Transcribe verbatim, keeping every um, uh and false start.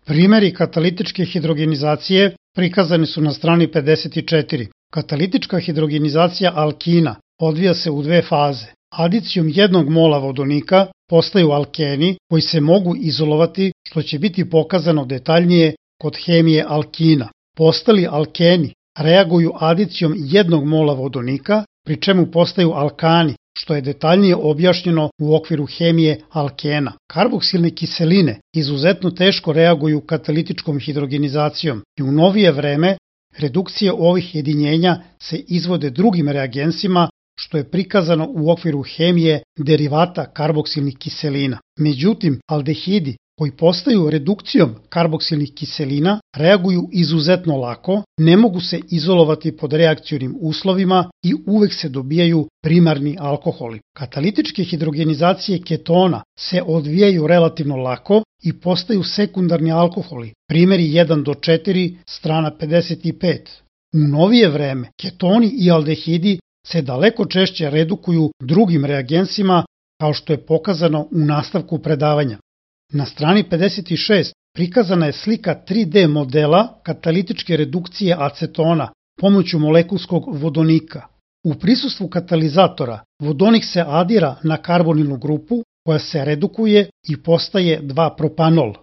Primeri katalitičke hidrogenizacije prikazani su na strani pedeset četiri. Katalitička hidrogenizacija alkina odvija se u dve faze. Adicijom jednog mola vodonika postaju alkeni koji se mogu izolovati, što će biti pokazano detaljnije kod hemije alkina. Postali alkeni reaguju adicijom jednog mola vodonika, pri čemu postaju alkani, što je detaljnije objašnjeno u okviru hemije alkena. Karboksilne kiseline izuzetno teško reaguju katalitičkom hidrogenizacijom i u novije vreme redukcije ovih jedinjenja se izvode drugim reagensima, što je prikazano u okviru hemije derivata karboksilnih kiselina. Međutim, aldehidi koji postaju redukcijom karboksilnih kiselina reaguju izuzetno lako, ne mogu se izolovati pod reakcionim uslovima i uvek se dobijaju primarni alkoholi. Katalitičke hidrogenizacije ketona se odvijaju relativno lako i postaju sekundarni alkoholi, primjeri jedan do četiri, strana pedeset pet. U novije vreme ketoni i aldehidi se daleko češće redukuju drugim reagensima, kao što je pokazano u nastavku predavanja. Na strani pedeset šest prikazana je slika tri D modela katalitičke redukcije acetona pomoću molekulskog vodonika. U prisustvu katalizatora vodonik se adira na karbonilnu grupu koja se redukuje i postaje dva propanol.